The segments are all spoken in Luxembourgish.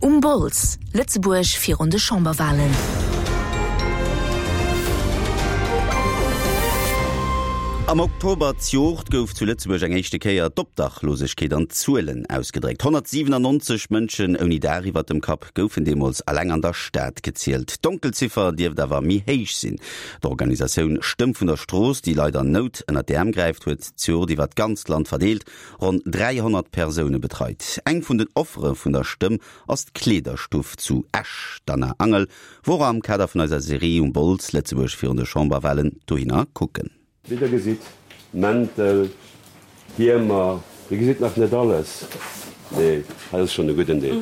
Um Bols, Lëtzebuerg virun de Chamberwalen. Am Oktober zjoert gouf zu Lëtzebuerg eng éischte Kéier d'Obdachlosegkeet an Zuelen ausgedréckt. 197 Mënschen ouni Daach iwwert dem Kapp goufen deemools alleng an der Stad gezielt. D'Donkelziffer dierft awer méi héich sinn. D'Organisatioun Stëmm vun der Strooss, déi Leit an Nout ënnert d'Äerm gräift, huet zjoert iwwert d'ganzt Land verdeelt ronn 300 Persoune betreit. Eng vun den Offere vun der Stëmm ass d'Kleederstuff zu Esch. D'Anna Angel wor am Kader vun eiser Serie Um Bols, Lëtzebuerg virun de Chamberwalen dohinner kucken. Wéi der gesitt, Mäntel, Hiemer, dir gesitt nach net alles, mee hei ass schonn e gudden Deel.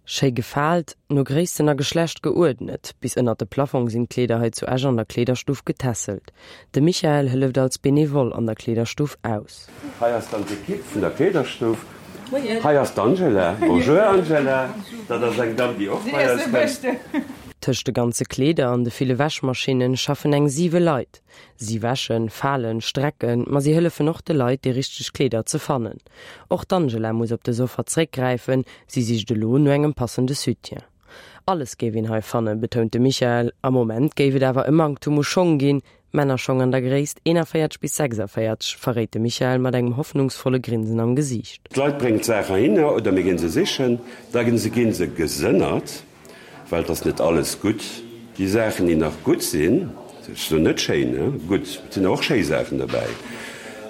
Schéi gefaalt, no Gréissten a Geschlecht geuerdnet, bis ënnert de Plafong sinn d'Kleeder hei zu Esch an der Kleederstuff getässelt. De Michael hëlleft als Benevole an der Kleederstuff aus. Hei ass dann d'Ekipp vun der Kleederstuff. Hei ass d'Angela. Bonjour Angela. Dat ass eng Damm, déi och bei eis kënnt. Tëscht de ganze Kleeder an de ville Wäschmaschinne schaffen eng siwe Leit. Si wäschen, falen, strecken, ma si hëllefen och de Leit, déi richteg Kleeder ze fannen. Och d'Angela muss op dës Offer zréckgräifen, si sicht elo no engem passende Soutien. Alles géif een hei fannen, betount de Michael. Am Moment géif et awer e Manktum u Schong ginn, Männerschong an der Gréisst 41 bis 46, verréit de Michael mat engem hoffnungsvolle Grinsen am Gesiicht. D'Leit bréngen d'Saach heihinner oder mir ginn se sichen, da ginn se ginn se gesënnert, well et ass net alles gutt. Déi Saachen, déi nach gutt sinn, ech soen net schéin, gutt, et sinn och schéi Saachen dobäi,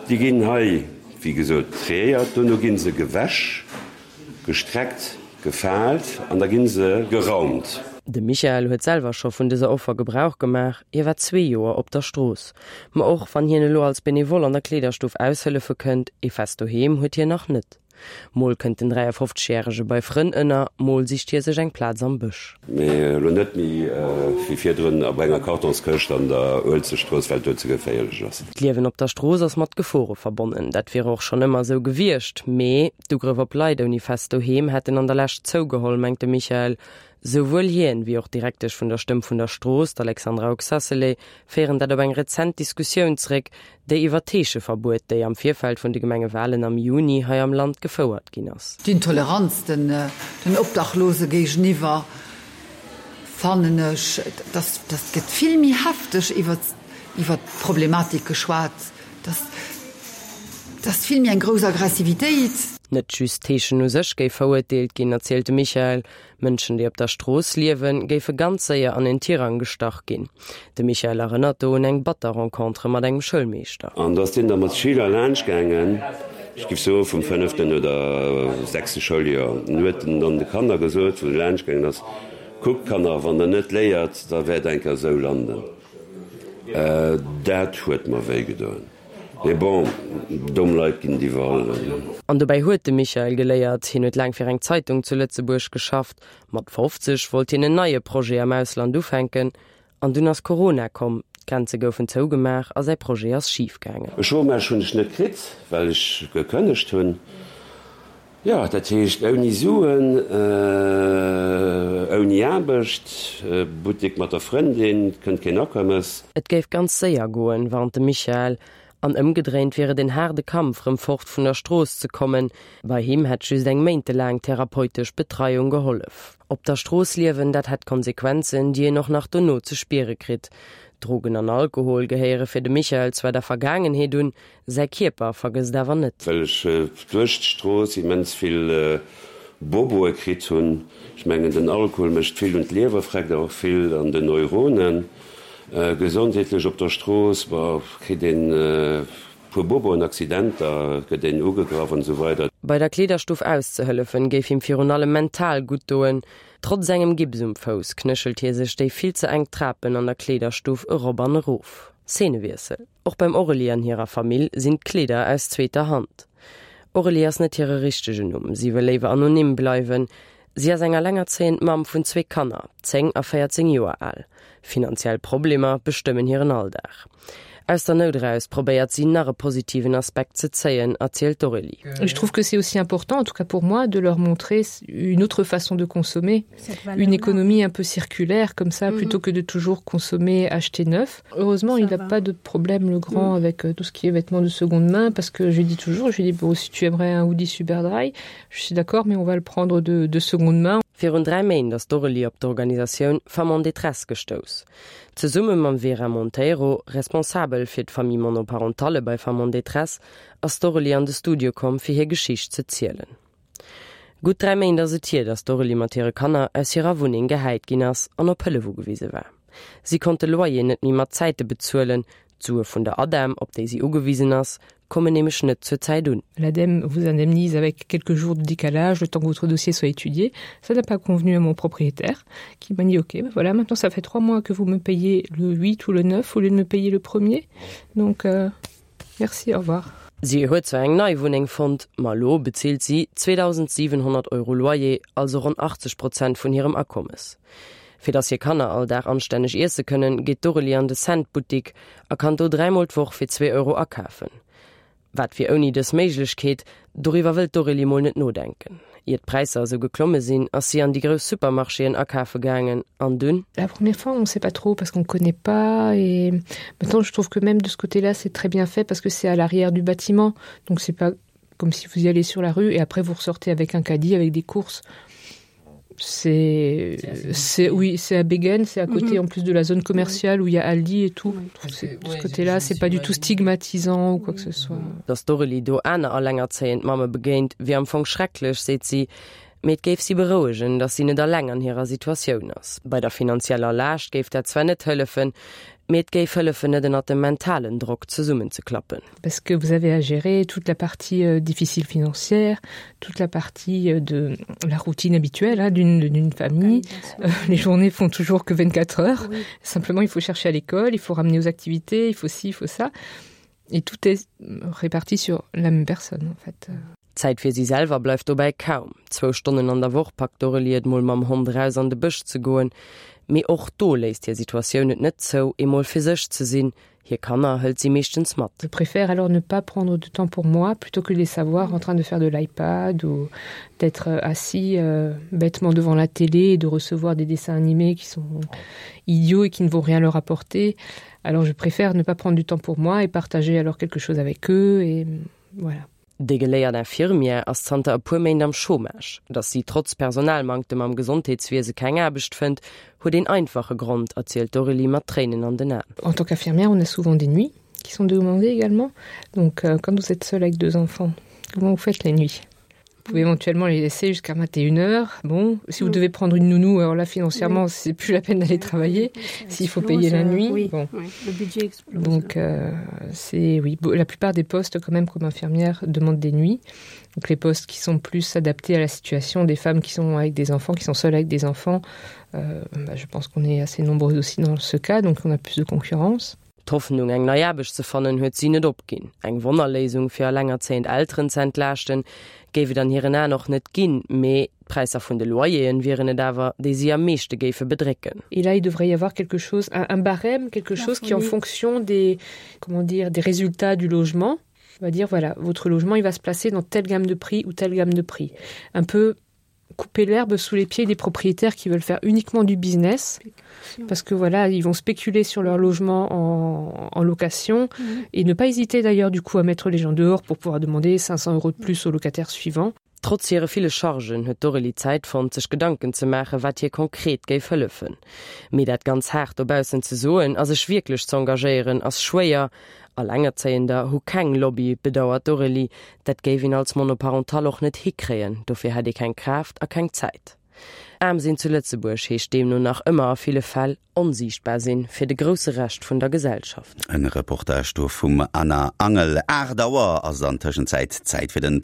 déi ginn hei, wéi gesot, triéiert, dono ginn se gewäsch. Gestreckt, gefaalt an da ginn se geraumt. De Michael huet selwer scho vun dëser Offer Gebrauch gemaach, hie war zwee Joer op der Strooss. Ma och wann hien elo als Benevole an der Kleederstuff aushëllefe kënnt, ee fest Doheem huet hien nach net. Mol kënnt den 53 Järege bei Frënn ënner, mol sicht hie sech eng Plaz am Bësch. Mee elo net méi wéi virdrun op enger Kartonskëscht an der Uelzechtstrooss, well et do ze geféierlech ass. D'Liewen op der Strooss ass mat Gefore verbonnen. Dat wier och schonn ëmmer esou gewiescht. Mee d'Ugrëff op Leit ouni fest Doheem hätten an der Lescht zougeholl, mengt de Michael. Souwuel hien, wéi och d'Direktesch vun der Stëmm vun der Strooss, d'Alexandra Oxacelay, féieren dat op eng rezent Diskussioun zréck, déi iwwer d'Heescheverbuet, déi am Virfeld vun de Gemengewalen am Juni hei am Land gefouert ginn ass. D'Intoleranz den Obdachlose géigeniwwer fannen ech, dass dass gëtt vill méi hefteg iwwer iwwer d'Problematik geschwat, dass dass vill méi eng grouss Aggressivitéit. Net just d'Heeschen u sech géif verurteelt ginn, erzielt de Michael. Mënschen, déi op der Strooss liewen, géife ganz séier an en Tirang gestach ginn. De Michael erënnert do un eng batter Rencontre mat engem Schoulmeeschter. An do ass deen da mat Schüler laanscht gaangen, ech géif soe vum fënneften oder sechste Schouljoer, an huet dann de Kanner gesot, wou e laanscht gaangen ass, Kuckt Kanner, wann der net léiert, da wäert der eng Kéier esou landen. Dat huet mer wéi gedoen. Mee bon, domm Leit ginn et iwwerall. An dobäi huet de Michael geléiert. Hien huet laang fir eng Zeitung zu Lëtzebuerg geschafft. Mat 50 wollt hien en neie Projet am Ausland ufänken. An dunn ass Corona komm, d'Grenze goufen zougemaach a säi Projet ass schif gaangen. E Chômage hunn ech net kritt, well ech gekënnegt hunn. Jo, dat heescht ouni Suen, ouni Aarbecht, Buttek mat der Frëndin, kënnt keen Akommes. Et géif ganz séier goen, warnt de Michael. An ëmgedréint wier et en haarde Kampf, rëm fort vun der Strooss ze kommen. Bei him hätt just eng méintelaang therapeutesch Betreiung gehollef. Op der Strooss liewen, dat hätt Konsequenzen, déi een och nach dono ze spiere kritt. Drogen an Alkohol gehéiere fir de Michael zwar der Vergaangenheet un, Säi Kierper vergësst awer net. Well ech duerch d'Strooss immens vill Boboe kritt hunn. Ech mengen den Alkohol mécht vill un d'Liewer, freckt awer och vill an den Neuronen. Gesondheetlech op der Strooss, bon, kritt een puer Boboen, Accidenter, gëtt een ugegraff an esou weider. Bei der Kleederstuff auszehëllefen, géif him virun allem mental gutt doen. Trotz engem Gips um Fouss knéchelt hie sech déi vill ze enk Trapen an der Kleederstuff erop an erof. Szenewiessel. Och beim Aurélie an hirer Famill sinn d'Kleeder aus zweeter Hand. Aurélie ass net hire richtegen Numm, si wëll léiwer anonym bleiwen. Si ass eng allengerzéiend Mamm vun zwee Kanner, 10 a 14 Joer al. Finanziell Problemer bestëmmen hiren Alldag. Aus der Nout eraus probéiert si nach e positiven Aspekt ze zéien, erzielt d'Aurélie. Je trouve que c'est aussi important, en tout cas pour moi, de leur montrer une autre façon de consommer, une économie un peu circulaire comme ça, mm -hmm. plutôt que de toujours consommer, acheter neuf. Heureusement, ça il n'a pas de problème le grand mm. avec euh, tout ce qui est vêtements de seconde main parce que je lui dis toujours, je lui dis bon, si tu aimerais un hoodie Superdry, je suis d'accord, mais on va le prendre de, de seconde main. Virun 3 Méint ass d'Aurélie op d'Organisatioun Femmes en détresse gestouss. Zesumme mam Vera Monteiro, Responsabel fir d'Famille monoparentale bei Femmes en détresse, ass d'Aurélie an de Studio komm fir hir Geschicht ze zielen. Gutt 3 Méint ass et hier, datt d'Aurélie mat hire Kanner aus hirer Wunneng gehäit ginn ass an op Hëllef ugewise war. Si konnt de Loyer net méi mat Zäite bezuelen, D'Sue vun der ADEM, op déi si ugewisen ass, kommen nämlech net zur Zäit un. L'ADEME vous indemnise avec quelques jours de décalage, le temps que votre dossier soit étudié. Ça n'a pas convenu à mon propriétaire, qui m'a dit ok, ben voilà, maintenant ça fait trois mois que vous me payez le 8 ou le 9 au lieu de me payer le premier. Donc euh, merci, au revoir. Si huet zwar eng nei Wunneng fonnt, ma elo bezilt si 2.700 Euro Loyer, also ronn 80 Prozent vun hirem Akommes. Fir dass hir Kanner all Dag anstänneg iesse kënnen, geet d'Aurélie an de Cent-Buttik a kann do dräimol d'Woch fir zwee Euro akafen. Wat wier ouni dës Méiglechkeet? Doriwwer wëllt d'Aurélie mol net nodenken. Ier d'Präisser esou geklomme sinn, ass si an déi grouss Supermarchéen akafe gaangen an dunn? La première fois, on sait pas trop parce qu'on connaît pas et maintenant je trouve que même de ce côté-là, c'est très bien fait parce que c'est à l'arrière du bâtiment, donc c'est pas comme si vous y allez sur la rue et après vous ressortez avec un caddie avec des courses. C'est c'est oui, c'est à Begen, c'est à côté mm -hmm. en plus de la zone commerciale où il y a Aldi et tout. Oui. De ce côté là, c'est pas du tout stigmatisant ou quoi que ce soit. Dass d'Aurélie do aner allengerzéiend Mamme begéint, wier am Fong schrecklech, seet si, mee et géif si berouegen, dass si net alleng an hirer Situatioun ass. Bei der finanzieller Laascht géif dat zwar net hëllefen, mee et géif hëllefen, net ënnert dem mentalen Drock zesummenzeklappen. Parce que vous avez à gérer toute la partie euh, difficile financière, toute la partie euh, de la routine habituelle d'une famille. Euh, les journées font toujours que 24 heures. Oui. Simplement, il faut chercher à l'école, il faut ramener aux activités, il faut ci, il faut ça. Et tout est réparti sur la même personne en fait. Zäit fir si selwer bleift dobäi kaum. Zwou Stonnen an der Woch packt d'Aurélie et mol mam Hond eraus an de Bësch ze goen. Mee och do léisst hir Situatioun et net zou, emol fir sech ze sinn. Hir Kanner hëlt si meeschtens mat. Je préfère alors ne pas prendre de temps pour moi plutôt que de les savoir en train de faire de l'iPad ou d'être assis euh, bêtement devant la télé et de recevoir des dessins animés qui sont idiots et qui ne vont rien leur apporter. Alors je préfère ne pas prendre du temps pour moi et partager alors quelque chose avec eux et voilà. Déi geléiert Infirmière ass zanter e puer Méint am Chômage. Datt si trotz Personalmanktem am Gesondheetswiese keng Aarbecht fënnt, huet een einfache Grond, erzielt d'Aurélie mat Tréinen an den Aen. En tant qu'infirmière, on a souvent des nuits qui sont demandées également. Donc euh, quand vous êtes seule avec deux enfants, comment vous faites les nuits? Vous pouvez éventuellement les laisser jusqu'à 21 heures. Bon, si vous mm. devez prendre une nounou, alors là financièrement, oui. c'est plus la peine d'aller travailler s'il faut payer la euh, nuit. Oui, bon. oui, le budget explose. Donc euh, c'est oui, la plupart des postes quand même comme infirmière demandent des nuits. Donc les postes qui sont plus adaptés à la situation des femmes qui sont avec des enfants, qui sont seules avec des enfants, euh, bah, je pense qu'on est assez nombreux aussi dans ce cas, donc on a plus de concurrence. D'Hoffnung, eng nei Aarbecht ze fannen, huet si net opginn. Eng Wonnerléisung, fir elengerzéiend Elteren ze entlaaschten, géif et an hiren Aen och net ginn, mee d'Präisser vun de Loyeren wieren et awer, déi si am meeschte géife bedrécken. Et là, il devrait y avoir quelque chose, un, un barème, quelque chose qui en fonction des, comment dire, des résultats du logement, va dire voilà, votre logement, il va se placer dans telle gamme de prix ou telle gamme de prix. Un peu couper l'herbe sous les pieds des propriétaires qui veulent faire uniquement du business parce que voilà ils vont spéculer sur leur logement en, en location mmh. et ne pas hésiter d'ailleurs du coup à mettre les gens dehors pour pouvoir demander 500 euros de plus aux locataires suivants. Trotz hire ville Chargen huet d'Aurélie Zäit fonnt, sech Gedanken ze maachen, wat hir konkret géif hëllefen. Mee dat ganz haart dobaussen ze soen a sech wierklech z'engagéieren, ass schwéier. Allengerzéiender hu keng Lobby, bedauert d'Aurélie. Dat géif een als Monoparentale och net hikréien, dofir hätt ee keng Kraaft a keng Zäit. Aarm sinn zu Lëtzebuerg heescht deemno nach ëmmer a ville Fäll onsiichtbar sinn fir de grousse Rescht vun der Gesellschaft. En Reportage do vum Anna Angel. 8 Auer ass an Tëschenzäit Zäit fir den.